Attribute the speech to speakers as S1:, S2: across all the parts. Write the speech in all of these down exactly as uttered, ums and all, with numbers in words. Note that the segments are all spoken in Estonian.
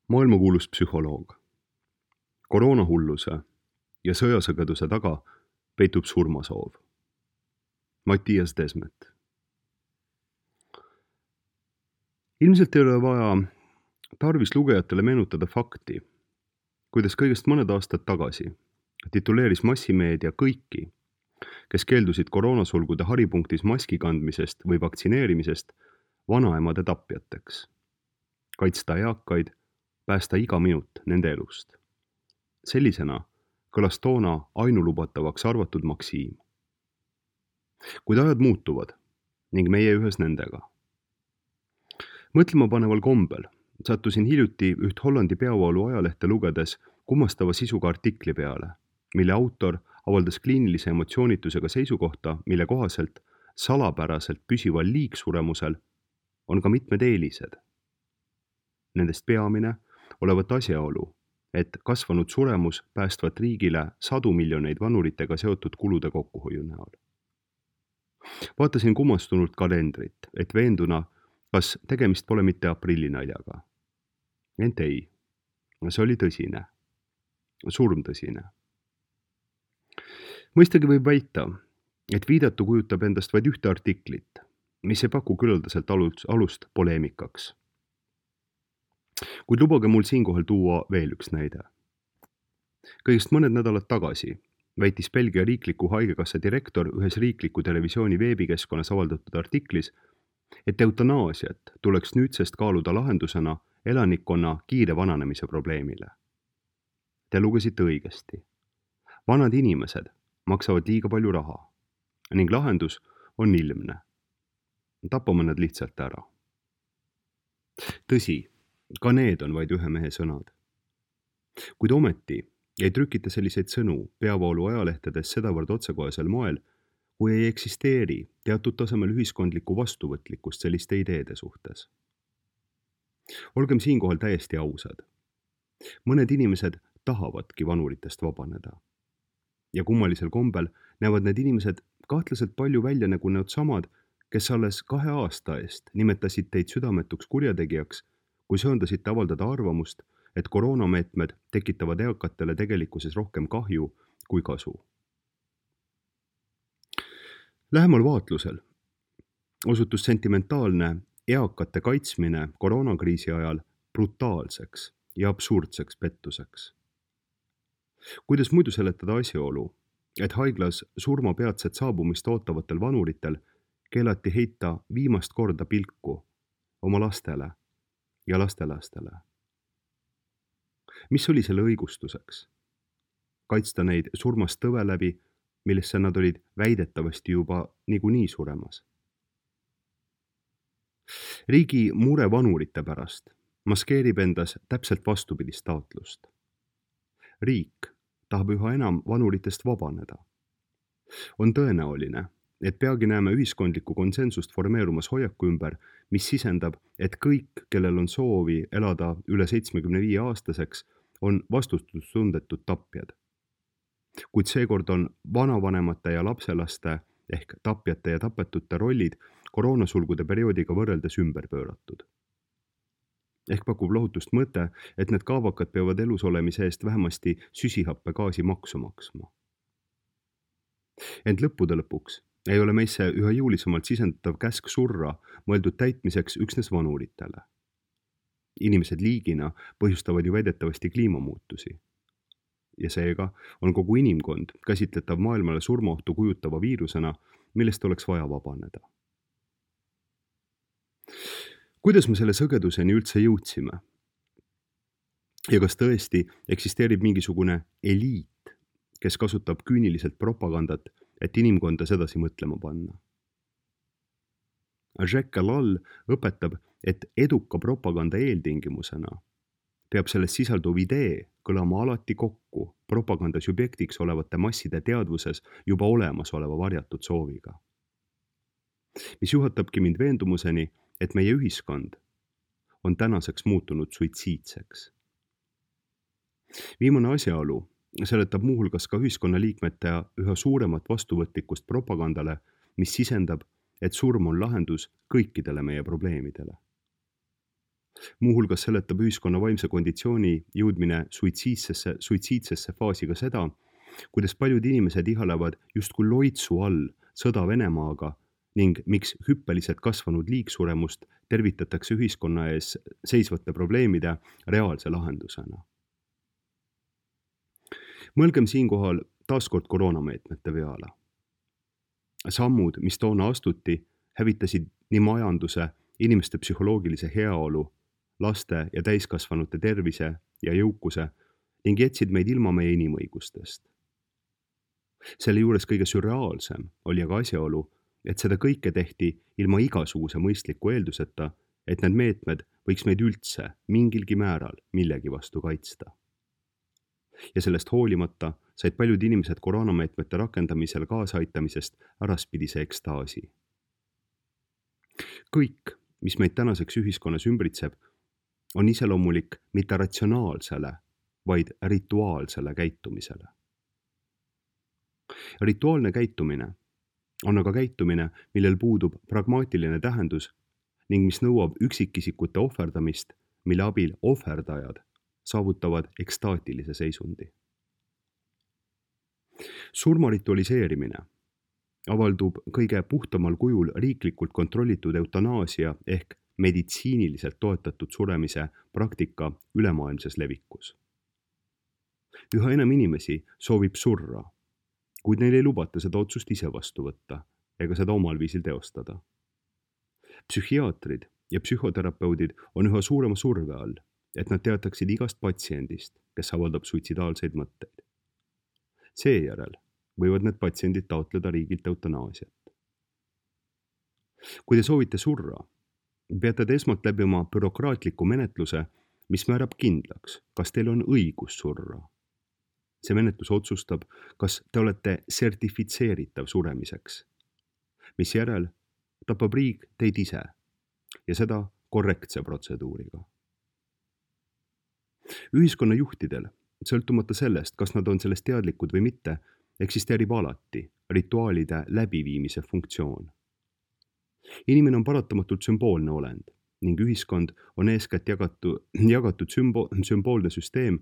S1: Maailmakuulus psühholoog. Koroonahulluse ja sõjasõgeduse taga peitub surmasoov. Mattias Desmet. Ilmselt ei ole vaja tarvis lugejatele meenutada fakti, kuidas kõigest mõned aastad tagasi tituleeris massimeedia kõiki, kes keeldusid koroonasulgude haripunktis maski kandmisest või vaktsineerimisest, vanaemade tapjateks. Kaitsta eakaid, päästa iga minut nende elust. Sellisena kõlas toona ainulubatavaks arvatud maksiim. Kuid ajad muutuvad ning meie ühes nendega. Mõtlema paneval kombel sattusin hiljuti üht Hollandi peavoolu ajalehte lugedes kummastava sisuga artikli peale, mille autor avaldas kliinilise emotsioonitusega seisukohta, mille kohaselt salapäraselt püsival liigsuremusel on ka mitmed eelised. Nendest peamine olevat asjaolu, et kasvanud suremus päästvat riigile sadu miljoneid vanuritega seotud kulude kokkuhoiu näol. Vaatasin kummastunult kalendrit, et veenduna, kas tegemist pole mitte aprillinaljaga. Ent ei, see oli tõsine, surmtõsine. Mõistagi võib väita, et viidatu kujutab endast vaid ühte artiklit, mis ei paku küllaldaselt alust poleemikaks. Kuid lubage mul siinkohal tuua veel üks näide. Kõigest mõned nädalad tagasi väitis Belgia riikliku haigekassa direktor ühes riikliku televisiooni veebikeskkonnas avaldatud artiklis, et eutanaasiat tuleks nüüdsest kaaluda lahendusena elanikkonna kiire vananemise probleemile. Te lugesite õigesti. Vanad inimesed maksavad liiga palju raha ning lahendus on ilmne. Tapame nad lihtsalt ära. Tõsi, ka need on vaid ühe mehe sõnad. Kuid ometi ei trükita selliseid sõnu peavoolu ajalehtedes sedavõrd otsekohesel moel, kui ei eksisteeri teatud tasemel ühiskondlikku vastuvõtlikkust selliste ideede suhtes. Olgem siinkohal täiesti ausad. Mõned inimesed tahavadki vanuritest vabaneda. Ja kummalisel kombel näevad need inimesed kahtlaselt palju välja nagu need samad, kes alles kahe aasta eest nimetasid teid südametuks kurjategijaks, kui söandasite avaldada arvamust, et koroonameetmed tekitavad eakatele tegelikkuses rohkem kahju kui kasu. Lähemal vaatlusel osutus sentimentaalne eakate kaitsmine koroonakriisi ajal brutaalseks ja absurdseks pettuseks. Kuidas muidu seletada asjaolu, et haiglas surma peatset saabumist ootavatel vanuritel keelati heita viimast korda pilku oma lastele ja lastelastele? Mis oli selle õigustuseks? Kaitsta neid surmast tõve läbi, millesse nad olid väidetavasti juba niikuinii suremas. Riigi mure vanurite pärast maskeerib endas täpselt vastupidist taotlust. Riik tahab üha enam vanuritest vabaneda. On tõenäoline, et peagi näeme ühiskondlikku konsensust formeerumas hoiaku ümber, mis sisendab, et kõik, kellel on soovi elada üle seitsmekümne viie aastaseks, on vastutustundetud tapjad. Kuid seekord on vanavanemate ja lapselaste ehk tapjate ja tapetute rollid koroonasulgude perioodiga võrreldes ümber pööratud. Ehk pakub lohutust mõte, et need kaavakad peavad elus olemise eest vähemasti süsihappegaasi maksu maksma. Ent lõppude lõpuks ei ole meisse üha jõulisemalt sisendatav käsk surra mõeldud täitmiseks üksnes vanuritele. Inimesed liigina põhjustavad ju väidetavasti kliimamuutusi. Ja seega on kogu inimkond käsitletav maailmale surmaohtu kujutava viirusena, millest oleks vaja vabaneda. Kuidas me selle sõgeduseni üldse jõudsime? Ja kas tõesti eksisteerib mingisugune eliit, kes kasutab küüniliselt propagandat, et inimkonda sedasi mõtlema panna? Jacques Ellul õpetab, et eduka propaganda eeltingimusena peab selles sisalduv idee kõlama alati kokku propaganda subjektiks olevate masside teadvuses juba olemas oleva varjatud sooviga. Mis juhatabki mind veendumuseni, et meie ühiskond on tänaseks muutunud suitsiidseks. Viimane asjaolu seletab muuhulgas ka ühiskonnaliikmete üha suuremat vastuvõtlikkust propagandale, mis sisendab, et surm on lahendus kõikidele meie probleemidele. Muuhulgas seletab ühiskonna vaimse konditsiooni jõudmine suitsiidsesse, suitsiidsesse faasi ka seda, kuidas paljud inimesed ihalevad justkui loitsu all sõda Venemaaga ning miks hüppeliselt kasvanud liigsuremust tervitatakse ühiskonna ees seisvate probleemide reaalse lahendusena. Mõelgem siinkohal taaskord koroonameetmete peale. Sammud, mis toona astuti, hävitasid nii majanduse, inimeste psühholoogilise heaolu, laste ja täiskasvanute tervise ja jõukuse ning jätsid meid ilma meie inimõigustest. Selle juures kõige sürreaalsem oli aga asjaolu, et seda kõike tehti ilma igasuguse mõistliku eelduseta, et need meetmed võiks meid üldse mingilgi määral millegi vastu kaitsta. Ja sellest hoolimata said paljud inimesed koroonameetmete rakendamisel kaasaitamisest äraspidise ekstaasi. Kõik, mis meid tänaseks ühiskonnas ümbritseb, on iseloomulik mitte ratsionaalsele, vaid rituaalsele käitumisele. Rituaalne käitumine on aga käitumine, millel puudub pragmaatiline tähendus ning mis nõuab üksikisikute ohverdamist, mille abil ohverdajad saavutavad ekstaatilise seisundi. Surma ritualiseerimine avaldub kõige puhtamal kujul riiklikult kontrollitud eutanaasia ehk meditsiiniliselt toetatud suremise praktika ülemaailmses levikus. Üha enam inimesi soovib surra, kuid neil ei lubata seda otsust ise vastu võtta ega seda omal viisil teostada. Psühhiaatrid ja psühhoterapeudid on üha suurema surve all, et nad teataksid igast patsiendist, kes avaldab suitsidaalseid mõtteid. Seejärel võivad need patsiendid taotleda riigilt eutanaasiat. Kui te soovite surra, peate te esmalt läbima bürokraatliku menetluse, mis määrab kindlaks, kas teil on õigus surra. See menetlus otsustab, kas te olete sertifitseeritav suremiseks, mis järel tapab riik teid ise ja seda korrektse protseduuriga. Ühiskonna juhtidel, sõltumata sellest, kas nad on sellest teadlikud või mitte, eksisteerib alati rituaalide läbiviimise funktsioon. Inimene on paratamatult sümboolne olend ning ühiskond on eeskätt jagatu, jagatud sümbo, sümboolne süsteem,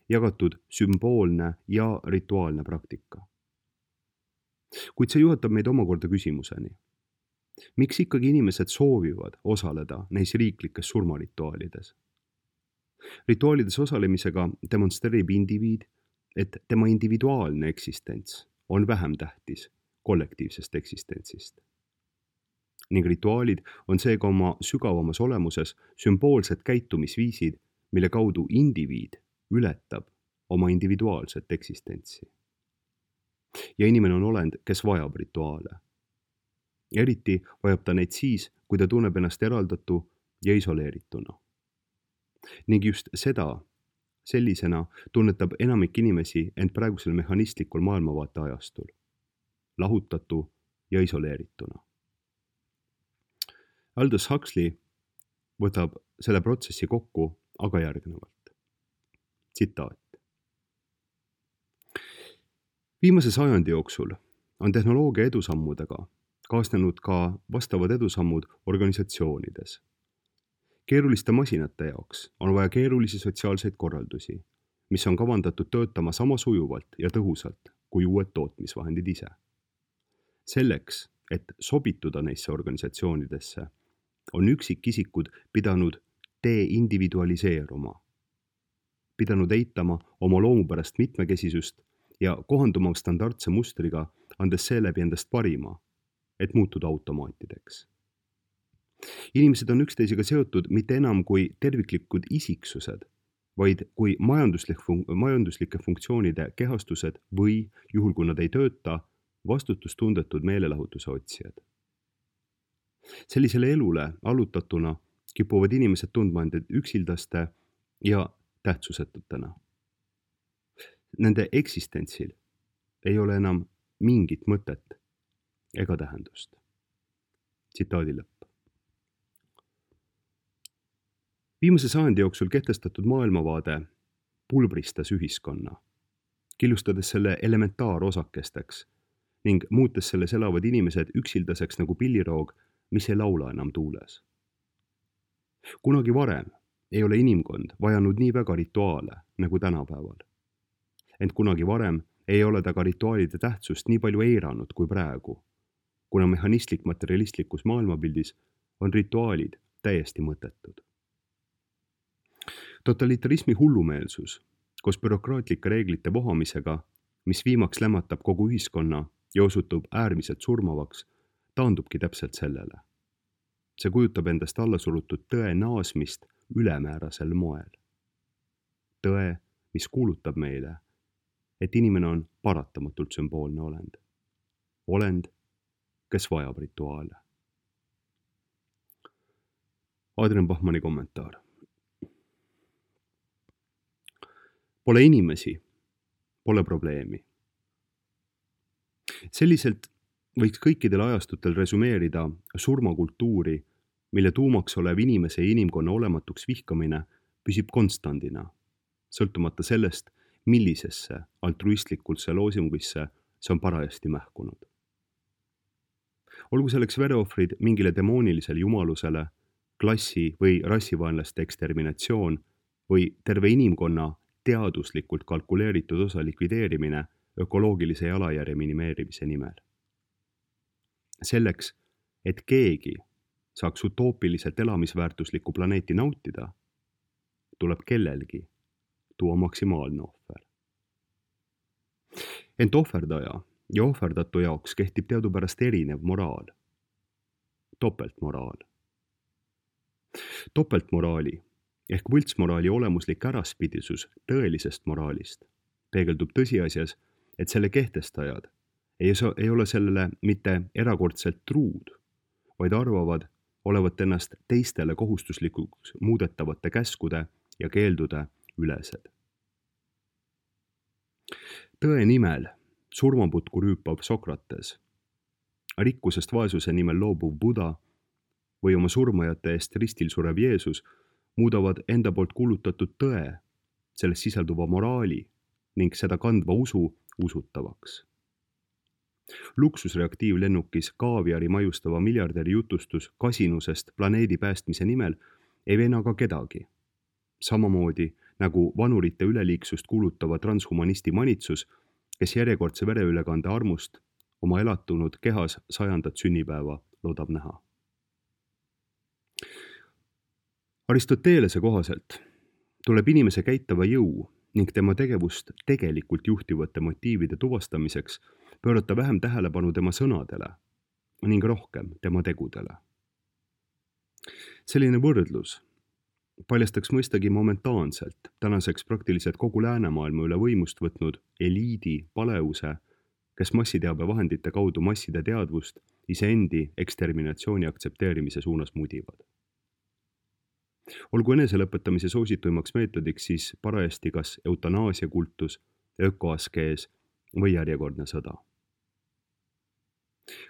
S1: jagatud sümboolne ja rituaalne praktika. Kuid see juhatab meid omakorda küsimuseni. Miks ikkagi inimesed soovivad osaleda neis riiklikes surmarituaalides? Rituaalides osalemisega demonstreerib indiviid, et tema individuaalne eksistents on vähem tähtis kollektiivsest eksistentsist. Ning rituaalid on seega oma sügavamas olemuses sümboolsed käitumisviisid, mille kaudu indiviid ületab oma individuaalset eksistentsi. Ja inimene on olend, kes vajab rituaale. Eriti vajab ta neid siis, kui ta tunneb ennast eraldatu ja isoleerituna. Ning just seda, sellisena tunnetab enamik inimesi end praegusel mehhanistlikul maailmavaate ajastul, lahutatu ja isoleerituna. Aldous Huxley võtab selle protsessi kokku aga järgnevalt. Tsitaat. Viimase sajandi jooksul on tehnoloogia edusammudega kaasnenud ka vastavad edusammud organisatsioonides. Keeruliste masinate jaoks on vaja keerulisi sotsiaalseid korraldusi, mis on kavandatud töötama sama sujuvalt ja tõhusalt kui uued tootmisvahendid ise. Selleks, et sobituda neisse organisatsioonidesse, on üksikisikud pidanud deindividualiseeruma, pidanud eitama oma loomupärast mitmekesisust ja kohanduma standardse mustriga, andes seeläbi endast parima, et muutuda automaatideks. Inimesed on üksteisega seotud mitte enam kui terviklikud isiksused, vaid kui majanduslik fun- majanduslike funktsioonide kehastused või, juhul kui nad ei tööta, vastutustundetud meelelahutuse otsijad. Sellisele elule allutatuna kipuvad inimesed tundma end üksildaste ja tähtsusetutena. Nende eksistentsil ei ole enam mingit mõtet ega tähendust. Tsitaadi lõpp. Viimase sajandi jooksul kehtestatud maailmavaade pulbristas ühiskonna, killustades selle elementaarosakesteks ning muutes selles elavad inimesed üksildaseks nagu pilliroog, mis ei laula enam tuules. Kunagi varem ei ole inimkond vajanud nii väga rituaale nagu tänapäeval. Ent kunagi varem ei ole ta ka rituaalide tähtsust nii palju eiranud kui praegu, kuna mehhanistlik materialistlikus maailmapildis on rituaalid täiesti mõttetud. Totalitarismi hullumeelsus koos bürokraatlike reeglite vohamisega, mis viimaks lämmatab kogu ühiskonna ja osutub äärmiselt surmavaks, taandubki täpselt sellele. See kujutab endast allasurutud tõe naasmist ülemäärasel moel. Tõe, mis kuulutab meile, et inimene on paratamatult sümboolne olend. Olend, kes vajab rituaale. Adrian Bachmanni kommentaar. Pole inimesi, pole probleemi. Selliselt võiks kõikidel ajastutel resümeerida surmakultuuri, mille tuumaks olev inimese ja inimkonna olematuks vihkamine püsib konstandina, sõltumata sellest, millisesse altruistlikulse loosungisse see on parajasti mähkunud. Olgu selleks vereohvrid mingile demoonilisele jumalusele, klassi- või rassivaenlaste eksterminatsioon või terve inimkonna teaduslikult kalkuleeritud osa likvideerimine ökoloogilise jalajärje minimeerimise nimel. Selleks, et keegi saaks utoopiliselt elamisväärtuslikku planeeti nautida, tuleb kellelgi tuua maksimaalne ohver. Ent ohverdaja ja ohverdatu jaoks kehtib teadupärast erinev moraal. Topeltmoraal. Topeltmoraali ehk võltsmoraali olemuslik äraspidisus tõelisest moraalist peegeldub tõsiasjas, et selle kehtestajad ei ole sellele mitte erakordselt truud, vaid arvavad olevat ennast teistele kohustuslikuks muudetavate käskude ja keeldude ülesed. Tõe nimel surmaputku rüüpav Sokrates, rikkusest vaesuse nimel loobuv Buda või oma surmajate eest ristil surev Jeesus muudavad enda poolt kuulutatud tõe, selles sisalduva moraali ning seda kandva usu usutavaks. Luksusreaktiivlennukis kaaviari majustava miljardäri jutustus kasinusest planeedi päästmise nimel ei veena ka kedagi. Samamoodi nagu vanurite üleliiksust kuulutava transhumanisti manitsus, kes järjekordse vereülekande armust oma elatunud kehas sajandat sünnipäeva loodab näha. Aristotelese kohaselt tuleb inimese käitava jõu ning tema tegevust tegelikult juhtivate motiivide tuvastamiseks pöörata vähem tähelepanu tema sõnadele ning rohkem tema tegudele. Selline võrdlus paljastaks mõistagi momentaanselt tänaseks praktiliselt kogu läänemaailma üle võimust võtnud eliidi paleuse, kes massiteabe vahendite kaudu masside teadvust iseendi eksterminatsiooni aktsepteerimise suunas mudivad. Olgu eneselõpetamise soosituimaks meetodiks siis parajasti kas eutanaasia kultus, ökoaskees või järjekordne sõda.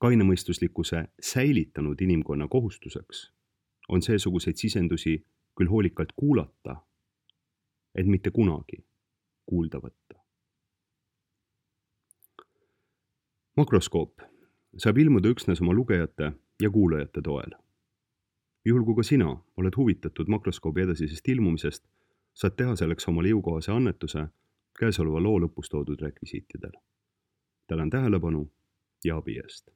S1: Kainemõistuslikkuse säilitanud inimkonna kohustuseks on seesuguseid sisendusi küll hoolikalt kuulata, et mitte kunagi kuulda võtta. Makroskoop saab ilmuda üksnes oma lugejate ja kuulajate toel. Juhul kui ka sina oled huvitatud makroskoobi edasisest ilmumisest, saad teha selleks omale jõukohase annetuse käesoleva loo lõpus toodud rekvisiitidel. Tänan tähelepanu ja abi eest.